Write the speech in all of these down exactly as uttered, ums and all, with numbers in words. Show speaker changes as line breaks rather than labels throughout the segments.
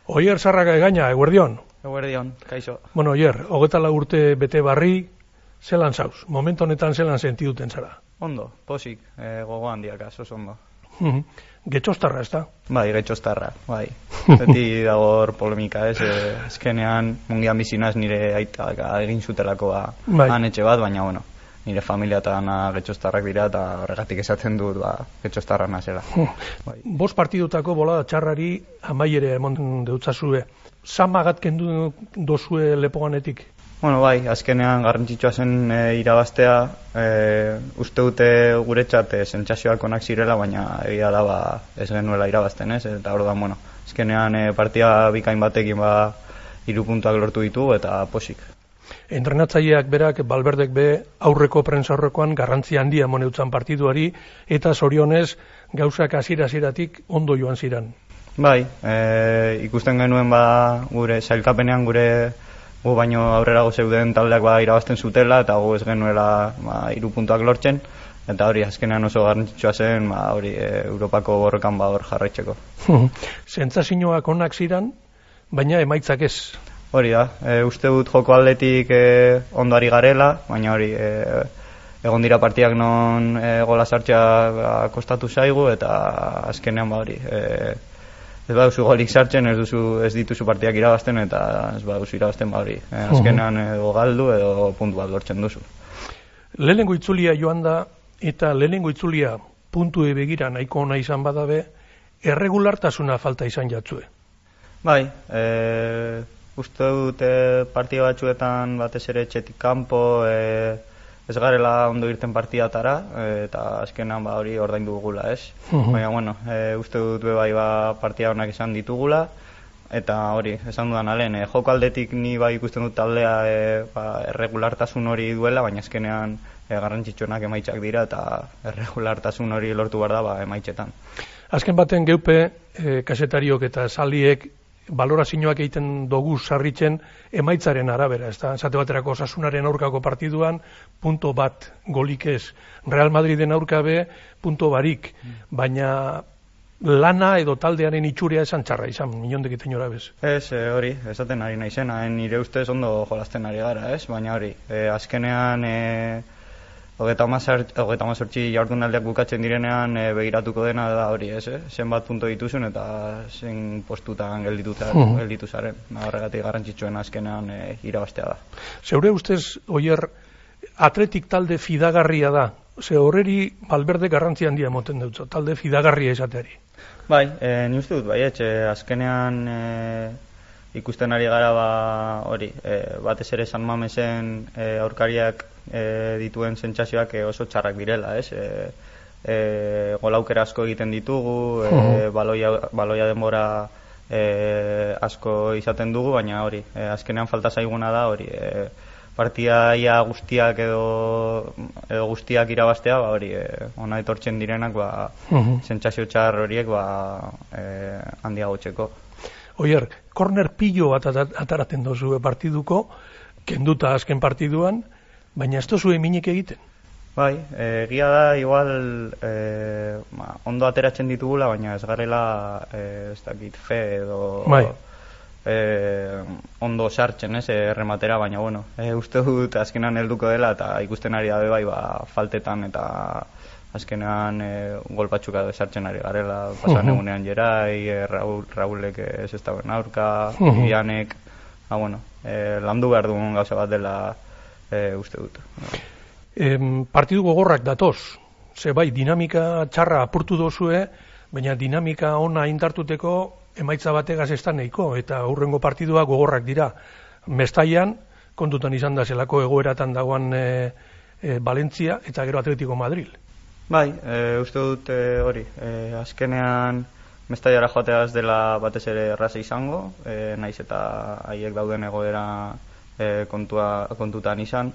Oier Sarraga egaina, eguerdion.
Eguerdion, kaixo.
Bueno, Oier, hogeta lau urte bete barri, zelan zauz? Momentu honetan zelan sentiduten zara?
Ondo, posik, e, gogo handiak, oso ondo.
Getxostarra, ez da?
Bai, getxostarra, bai. Beti dagor polemika, ez? E, ezkenean, mungian bizinaz nire aitak egin zutelako ba,
bai.
Han etxe bat, baina, bueno, nire familia eta ana getxostarrak dira, eta horregatik esaten dut, ba, getxostarra nazela.
Bai. Bost partidutako bolada txarrari amaiere emon deutzazue. Zamagat kendu dozue lepoganetik?
Bueno, bai, azkenean garrantzitsua zen e, irabaztea, e, uste dute guretzat e, sentsazioak onak zirela, baina egia da ba, ez genuela irabazten, ez? Eta orduan, bueno, azkenean e, partia bikain batekin ba, hiru puntuak lortu ditugu eta posik.
Entrenatzaileak berak, Balberdek be, aurreko prentsa aurrekoan garrantzi handia moneutzan partiduari, eta zorionez gauzak hasiera-hasieratik ondo joan ziran.
Bai, e, ikusten genuen ba, gure sailkapenean gure gu baino aurrerago zeuden taldeak ba irabazten zutela eta gu ez genuela ba hiru puntuak lortzen eta hori azkenean oso garrantzitsua zen ba hori e, Europako borrokan ba hor jarraitzeko.
Sentsazioak onak ziran, baina emaitzak ez.
Hori da, e, uste dut joko aldetik e, ondo ari garela, baina hori e, egon dira partiak non e, gola sartzea ba, kostatu zaigu eta azkenean ba hori e, ez baduzu golik sartzen, ez duzu ez dituzu partidak irabazten eta ez baduzu irabazten ba hori. Eh, azkenean edo galdu edo puntu bat lortzen duzu.
Lehenengo itzulia joan da eta lehenengo itzulia puntu begira nahiko ona izan badabe, erregulartasuna falta izan jatzue.
Bai, e, uste dut e, partida batzuetan batez ere etxetik kanpo e, ez garela ondo irten partidatara eta azkenan ba hori ordaindu dugula, ez?
Uh-huh.
Baina bueno, e, uste dut be bai ba partida onak izan ditugula eta hori, esan dudan alen, e, joko aldetik ni bai ikusten dut taldea e, ba, erregulartasun hori duela, baina azkenean e, garrantzitsuenak emaitzak dira eta erregulartasun hori lortu behar da ba emaitzetan.
Azken baten geupe e, kasetariok eta saliek balorazioak egiten dugu sarritzen emaitzaren arabera, ez da? Esate baterako Osasunaren aurkako partiduan punto bat golik ez. Real Madriden aurka be punto barik, baina lana edo taldearen itxurea esan txarra izan, inondik iten jora bez.
Ez, e, hori, esaten ari naizena, nire ustez ondo jolasten ari gara, ez? Baina hori, e, azkenean e, hogeita hamazortzi jardunaldiak bukatzen direnean e, begiratuko dena da hori, ez? Eh? Zenbat punto dituzun eta zen postutan geldituta gelditu zaren. Horregatik garrantzitsuen azkenean e, irabaztea da.
Zeure ustez, Oier, atletik talde fidagarria da. Ze horreri Balberde garrantzi handia emoten dutzo, talde fidagarria izateari.
Bai, e, ni uste dut, bai, etxe, azkenean e, ikusten ari gara ba hori, e, batez ere San Mamesen e, aurkariak e, dituen sentsazioak e, oso txarrak direla, ez? E, e, golaukera asko egiten ditugu, e, baloia, baloia denbora e, asko izaten dugu, baina hori, e, azkenean falta zaiguna da hori, e, partidaia guztiak edo, edo guztiak irabaztea, ba hori, e, ona etortzen direnak ba sentsazio txar horiek ba e, handiagotzeko.
Oier, korner pillo bat ataraten dozu partiduko, kenduta azken partiduan, baina ez dozu eminik egiten.
Bai, egia da, igual e, ma, ondo ateratzen ditugula, baina ez garela e, ez dakit fe edo
bai.
e, ondo sartzen, ez, errematera, baina bueno, e, uste dut azkenan helduko dela eta ikusten ari dabe bai, ba, faltetan eta azkenean e, gol batzuk sartzen ari garela, pasan uh-huh. egunean Jerai, e, Raul, Raulek ez ez dauen aurka, uh-huh. Ianek, ah, bueno, e, landu behar dugun gauza bat dela e, uste dut.
E, partidu gogorrak datoz, ze bai, dinamika txarra apurtu dozue, baina dinamika ona indartuteko emaitza bategaz ez da nahiko, eta aurrengo partidua gogorrak dira. Mestaian, kontutan izan da zelako egoeratan dagoan e, e, Valentzia eta gero Atletico Madrid.
Bai, e, uste dut e, hori, e, azkenean Mestaiara joateaz dela batez ere erraza izango, e, naiz eta haiek dauden egoera e, kontua, kontutan izan.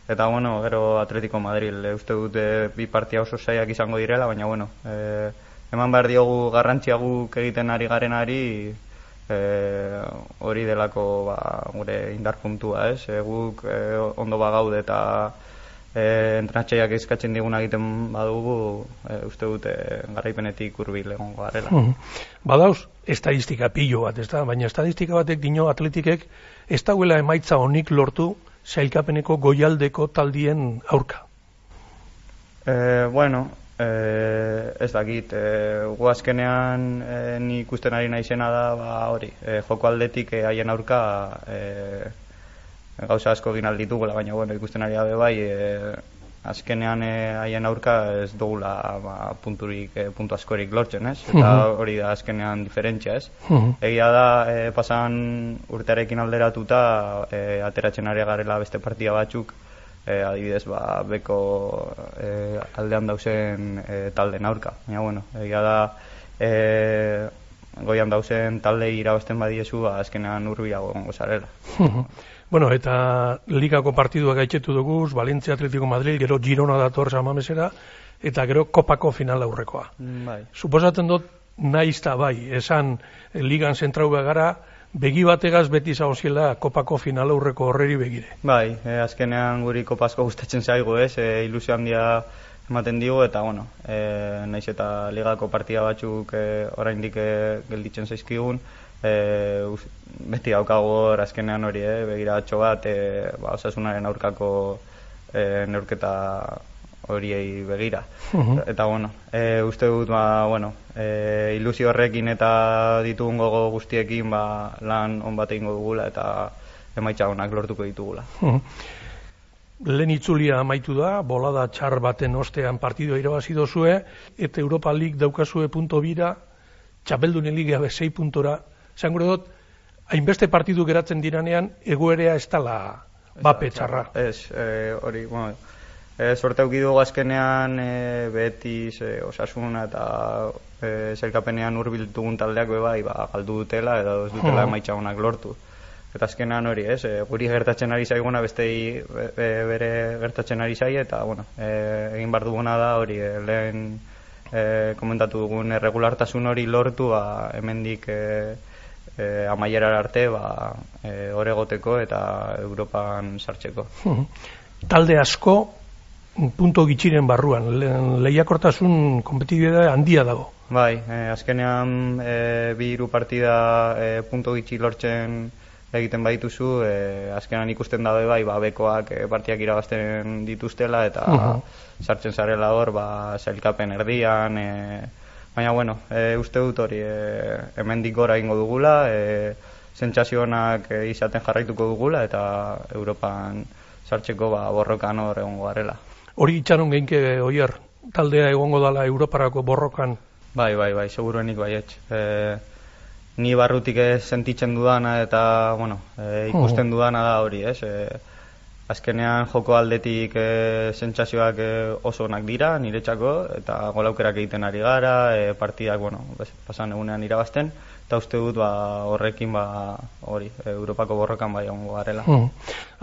Eta bueno, gero Atletico Madrid, e, uste dut e, bi partia oso zaiak izango direla, baina bueno, e, eman behar diogu garrantzia guk egiten ari garenari, e, hori delako ba, gure indar puntua, ez? E, guk e, ondo bagaude eta e, entrenatxaiak eskatzen diguna egiten badugu, e, uste dute garaipenetik hurbil egongo garela.
Hmm. Badauz, estadistika pilo bat, ez da? Baina estadistika batek dino atletikek ez dauela emaitza honik lortu sailkapeneko goialdeko taldien aurka.
E, bueno, e, ez dakit, e, gu azkenean e, ni ikusten ari naizena da, ba, hori, e, joko aldetik e, haien aurka e, gauza asko egin alditugula, baina bueno, ikusten ari gabe bai, e, azkenean e, haien aurka ez dugula ba, punturik, e, puntu askorik lortzen, ez? Eta hori da azkenean diferentzia, ez? Egia da, e, pasan urtearekin alderatuta, e, ateratzen ari garela beste partida batzuk, e, adibidez, ba, beko e, aldean dauzen e, talden aurka. Baina, bueno, egia da, e, goian dauzen taldei irabazten badiezu, ba, azkenean hurbilago egongo zarela.
Bueno, eta ligako partiduak gaitzetu dugu, Valentzia Atletico Madrid, gero Girona dator San Mamesera, eta gero kopako final aurrekoa.
Bai.
Suposatzen dut, naiz ta bai, esan ligan zentrau gara, begi bategaz beti zagoziela kopako final aurreko horreri begire.
Bai, e, azkenean guri kopazko gustatzen zaigu, ez, e, ilusio handia ematen digu, eta bueno, e, naiz eta ligako partida batzuk e, oraindik e, gelditzen zaizkigun, e, us, beti daukago hor azkenean hori, eh, begiratxo bat, e, ba, Osasunaren aurkako e, neurketa horiei begira. Uh-huh. Eta bueno, e, uste dut, ba, bueno, e, ilusio horrekin eta ditugun gogo guztiekin ba, lan on bat egingo dugula eta emaitza onak lortuko ditugula.
Uh-huh. Lehen itzulia amaitu da, bolada txar baten ostean partidua irabazi dozue, eta Europa League daukazue punto bira, Txapeldunen Liga sei puntora, zan gure dut, hainbeste partidu geratzen diranean, egoerea ez dala bape txarra.
Ez, e, hori, bueno, e, sorte aukidugu azkenean e, Betis, e, Osasuna eta e, zelkapenean hurbildugun taldeak bebai, ba, galdu dutela edo ez dutela emaitza onak lortu. Eta azkenean hori, ez, e, guri gertatzen ari zaiguna bestei be, be, bere gertatzen ari zai, eta bueno, e, egin bar duguna da hori, e, lehen e, komentatu dugun erregulartasun hori lortu, ba, hemendik e, e, amaierar arte, ba, e, oregoteko eta Europan sartzeko.
Talde asko, punto gitxiren barruan, le, lehiakortasun kompetitibitate handia dago.
Bai, e, azkenean e, bi hiru partida e, punto gitxi lortzen egiten badituzu, e, azkenan ikusten dabe bai, ba, bekoak e, partiak irabazten dituztela eta uh-huh. sartzen zarela hor, ba, sailkapen erdian, e, baina bueno, e, uste dut hori e, hemendik gora egingo dugula, e, sentsazionak e, izaten jarraituko dugula eta Europan sartzeko ba, borrokan hor egongo garela.
Hori itxaron geinke oier, taldea egongo dala Europarako borrokan?
Bai, bai, bai, seguruenik baietz. E, ni barrutik ez sentitzen dudana eta bueno, e, ikusten uh-huh. dudana da hori, ez? E, azkenean joko aldetik e, sentsazioak e, oso onak dira niretzako eta golaukerak egiten ari gara, e, partidak bueno, pasan egunean irabazten eta uste dut ba, horrekin ba, hori, e, Europako borrokan bai egongo garela.
Uh-huh.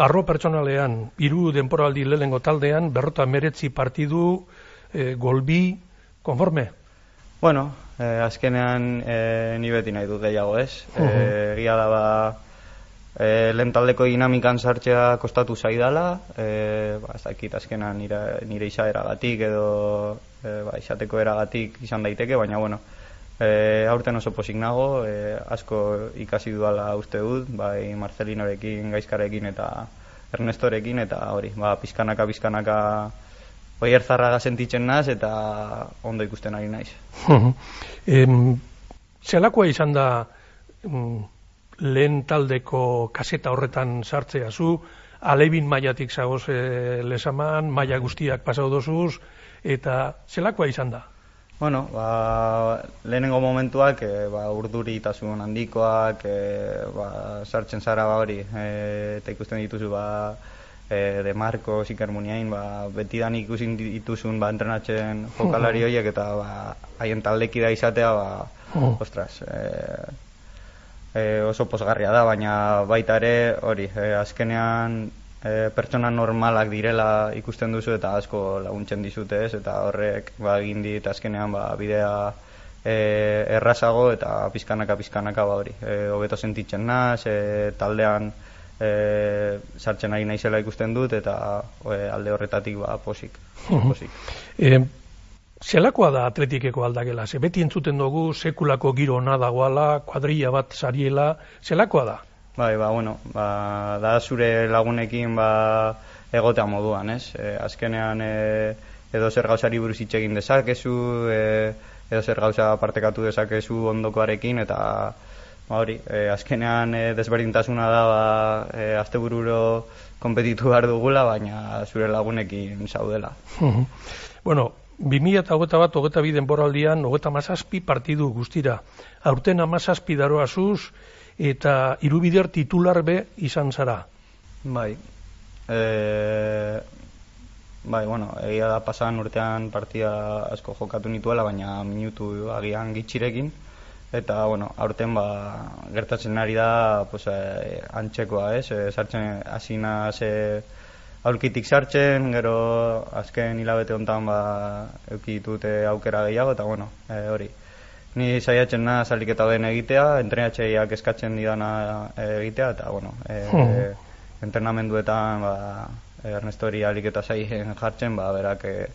Arro pertsonalean, hiru denporaldi lehengo taldean, berrota meretzi partidu, e, golbi, konforme?
Bueno, eh, azkenean eh, ni beti nahi dut gehiago, ez? Uh-huh. eh, egia da ba, eh, lehen taldeko dinamikan sartzea kostatu zaidala, eh, ba, ez dakit azkenan nire, nire izaeragatik edo eh, ba, izateko eragatik izan daiteke, baina bueno, eh, aurten oso posik nago, eh, asko ikasi dudala uste dut, bai Marcelinorekin, Gaizkarekin eta Ernestorekin, eta hori, ba, pizkanaka, pizkanaka Oier zarraga sentitzen naz eta ondo ikusten ari naiz.
em, zelakoa izan da mm, lehen taldeko kaseta horretan sartzea zu, alebin mailatik zagoz e, lesaman, maila guztiak pasau dozuz, eta zelakoa izan da?
Bueno, ba, lehenengo momentuak e, ba, urduritasun handikoak, e, ba, sartzen zara ba hori, e, eta ikusten dituzu ba, E, de Marco, Iker Muniain, ba, betidan ikusin dituzun ba, entrenatzen jokalari horiek eta ba, haien taldekida izatea, ba, oh. ostras, e, e, oso posgarria da, baina baita ere, hori, e, azkenean e, pertsona normalak direla ikusten duzu eta asko laguntzen dizute ez, eta horrek ba, egin dit azkenean ba, bidea e, errazago eta pizkanaka pizkanaka ba hori, e, hobeto sentitzen naz, e, taldean e, sartzen ari naizela ikusten dut, eta e, alde horretatik ba, posik. posik.
E, zelakoa da atletikeko aldakela? Ze beti entzuten dugu sekulako giro ona dagoala, kuadrilla bat sariela, zelakoa da?
Bai, ba, bueno, ba, da zure lagunekin ba, egotea moduan, ez? E, azkenean e, edo zer gauzari buruz hitz egin dezakezu, e, edo zer gauza partekatu dezakezu ondokoarekin, eta ba, hori, e, azkenean e, desberdintasuna da ba, e, astebururo konpetitu behar dugula, baina zure lagunekin zaudela.
Bueno, bi mila hogeita bat, hogeita bi denboraldian, hogeita hamazazpi partidu guztira. Aurten hamazazpi daroazuz, eta hirubider titular be izan zara.
Bai. E, bai, bueno, egia da pasan urtean partida asko jokatu nituela, baina minutu agian gitxirekin. Eta, bueno, aurten ba, gertatzen ari da pues, eh, antxekoa, ez? E, sartzen hasina ze aurkitik sartzen, gero azken hilabete honetan ba, euki ditute aukera gehiago, eta, bueno, e, hori. Ni saiatzen na saliketa den egitea, entrenatzaileak eskatzen didana egitea, eta, bueno, e, e, entrenamenduetan ba, Ernestori aliketa saien jartzen, ba, berak e,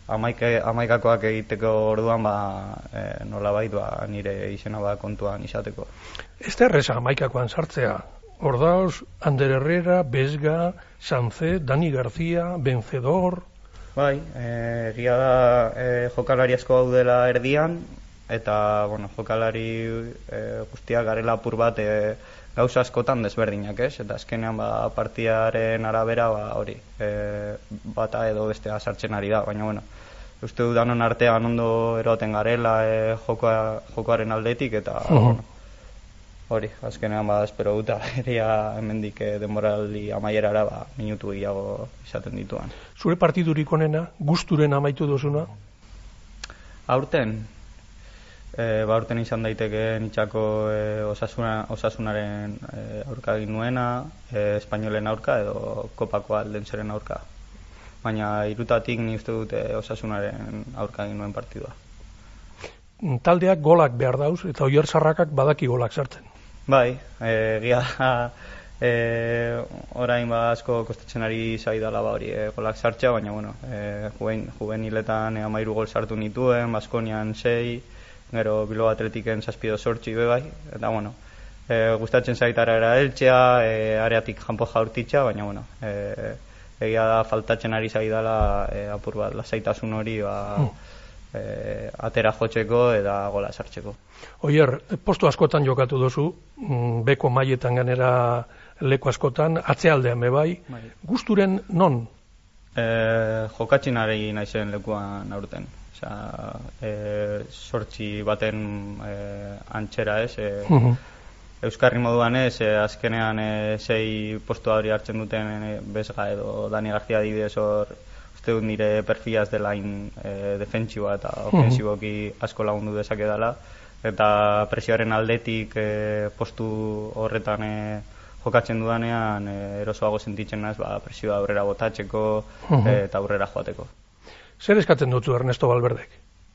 amaike, amaikakoak egiteko orduan ba, e, nolabait ba, nire izena ba, kontuan izateko.
Ez da erreza amaikakoan sartzea. Ordauz, Ander Herrera, Besga, Sanze, Dani García, Vencedor...
Bai, e, egia da e, jokalari asko daudela erdian, eta bueno, jokalari e, guztiak garela apur bat e, gauza askotan desberdinak, ez? Eta azkenean ba, partiaren arabera ba, hori, e, bata edo bestea sartzen ari da, baina bueno, uste dudanon artean ondo eroten garela e, jokoa, jokoaren aldetik, eta uh -huh. bueno, hori, azkenean ba, espero dut eria hemendik e, denboraldi amaierara ba, minutu gehiago izaten dituan.
Zure partidurik onena, gusturen amaitu duzuna?
Aurten, E, ba, urten izan daiteke nitxako e, osasuna, osasunaren e, aurka egin nuena, e, espainolen aurka edo kopako aldenzeren aurka. Baina irutatik ni uste dute osasunaren aurka egin nuen partidua.
Taldeak golak behar dauz, eta Oier Sarrakak badaki golak sartzen.
Bai, egia da, e, orain ba asko kostatzen ari zaidala ba hori e, golak sartzea, baina bueno, e, juven, juveniletan hamairu gol sartu nituen, Baskonian sei, gero Bilbao Atletiken zazpido sortzi bebai, eta bueno, e, gustatzen zaitara era eltxea, e, areatik janpo jaurtitxa, baina bueno, e, egia da faltatzen ari zaidala e, apur bat, lasaitasun hori ba, hmm. e, atera jotzeko eta gola sartzeko.
Oier, postu askotan jokatu duzu, beko mailetan ganera leku askotan, atzealdean bebai, bai. Gusturen non?
E, jokatzen ari naizen lekuan aurten. Osea, e, sortzi baten e, antxera ez, e, uh -huh. Euskarri moduan ez, e, azkenean e, sei postu hori hartzen duten e, Besga edo Dani García adibidez hor, uste dut nire perfilaz delain e, defentsiboa eta ofensiboki asko lagundu dezake dela, eta presioaren aldetik e, postu horretan e, jokatzen dudanean e, erosoago sentitzen naiz ba, presioa aurrera botatzeko uh -huh. e, eta aurrera joateko.
Zer eskatzen dutzu Ernesto Valverdek?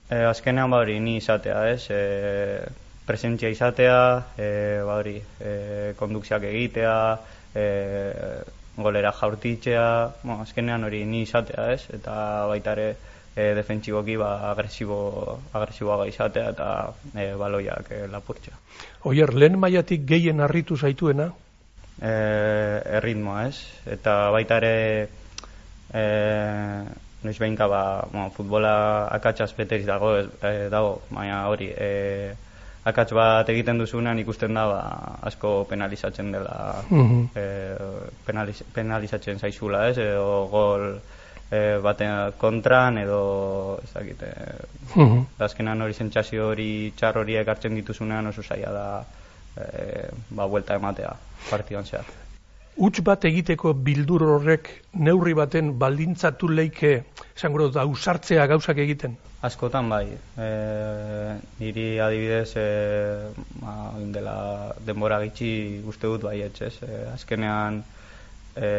E, azkenean ba hori ni izatea, ez? E, presentzia izatea, e, ba hori, e, kondukziak egitea, e, golera jaurtitzea, bueno, azkenean hori ni izatea, ez? Eta baita ere e, defentsiboki ba agresibo agresiboaga izatea eta e, baloiak e, lapurtzea.
Oier, lehen mailatik gehien harritu zaituena?
E, erritmoa, ez? Eta baita ere e, noiz behinka ba, bueno, futbola akatsaz beteriz dago, e, dago, baina hori, e, akats bat egiten duzunean ikusten da ba, asko penalizatzen dela, uh-huh. e, penaliz, penalizatzen zaizula, ez, edo gol e, baten kontran, edo ez dakit, e, uh-huh. azkenan hori sentsazio hori txar horiek hartzen dituzunean oso zaila da e, ba, buelta ematea partidan zehar.
Huts bat egiteko bildur horrek neurri baten baldintzatu leike, esango dut, ausartzea gauzak egiten?
Askotan bai. E, niri adibidez, e, ba, dela denbora gitxi uste dut bai etxez. E, azkenean e,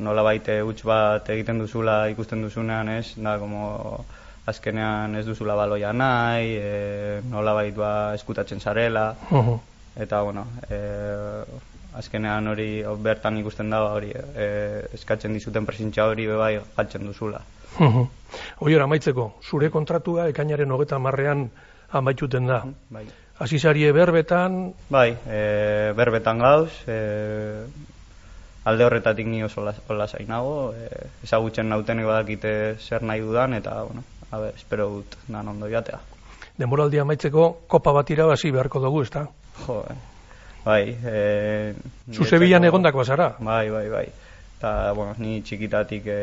nola baite huts bat egiten duzula ikusten duzunean, ez? Da, como azkenean ez duzula baloia nahi, e, nola bait ba eskutatzen zarela. Uh-huh. Eta, bueno, e, azkenean hori bertan ikusten da hori e, eskatzen dizuten presentzia hori bai galtzen duzula.
Oier, amaitzeko, zure kontratua ekainaren hogeta marrean amaituten da.
Bai.
Azizarie berbetan...
Bai, e, berbetan gauz, e, alde horretatik ni oso lasai nago, e, ezagutzen nautenek badakite zer nahi dudan, eta, bueno, a ber, espero dut nan ondo joatea.
Denboraldia amaitzeko kopa bat irabazi beharko dugu, ezta?
Jo, bai. E,
Zu Sevillan egondako bazara?
Bai, bai, bai. Eta, bueno, ni txikitatik e,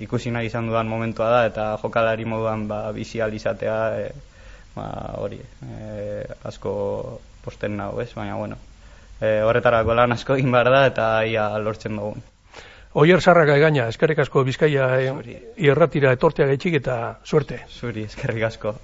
ikusi nahi izan dudan momentua da, eta jokalari moduan ba, bizial izatea, e, ba, hori, e, asko posten nago, ez? Baina, bueno, e, horretarako lan asko egin behar da, eta ia lortzen dugun.
Oier Sarraga egaina, eskerrik asko Bizkaia e, irratira etortea gaitxik eta suerte.
Zuri, eskerrik asko.